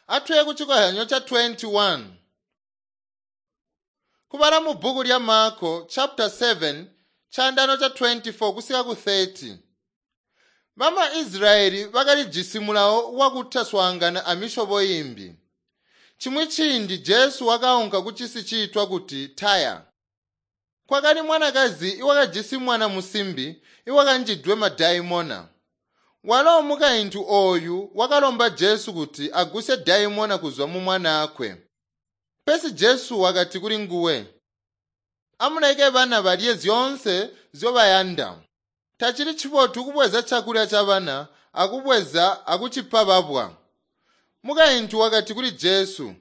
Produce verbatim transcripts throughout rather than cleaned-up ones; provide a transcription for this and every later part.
Atuye kucikozyanyo ca twenty one. Kubala mu bbuku lya Marko chapter seven caandaano ca twenty four kusika ku thirty. Bama Israyeli bakalijisi mulawo wakutaswaangana amisyobo imbi. Chimwi ciindi Jesu wakaunka kucisi ciitwa kuti Taya. Kwakali mwanakazi iwakajisi mwana musimbi iwakanjidwe madaimona. Walo mukaintu ooyu wakalomba Jesu kuti agusye daimona kuzwa mu mwanaakwe. Pesi Jesu wakati kuli nguwe, "Amuleke bana balye zyoonse nzyobayanda. Tacili cibotu kubweza cakulya cabana akubweza akucipa babwa." Mukaintu wakati kuli Jesu,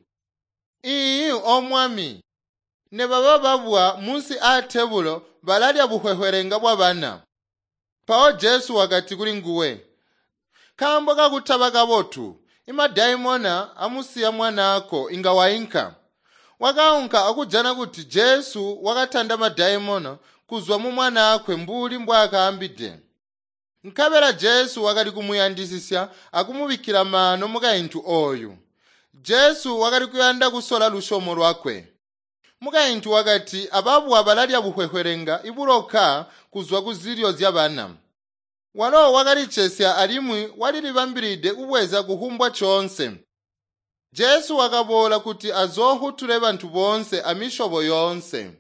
"Iiyi, O Mwami, nebaba babwa munsi aatebulo balalya buhwehwelenga bwabana." Mpawo Jesu wakati kuli nguwe, "Nkaambo kakutaba kabotu, imadaimona amusiya mwanaako inga wainka." Wakaunka akujana kuti Jesu wakatanda madaimona kuzwa mu mwanaakwe mbuli mbwaakaambide. Nkabela Jesu wakali kumuyandisisya akumubikkila maano mukaintu ooyu. Jesu wakali kuyanda kusola lusyomo lwakwe. Mukaintu wakati ababwa balalya buhwehwelenga ibuloka kuzwa kuzilyo zyabana. Walo wakalicesya alimwi walilibambilide kubweza kuhumbwa coonse. Jesu wakaboola kuti azoofutule bantu boonse amisyobo yoonse.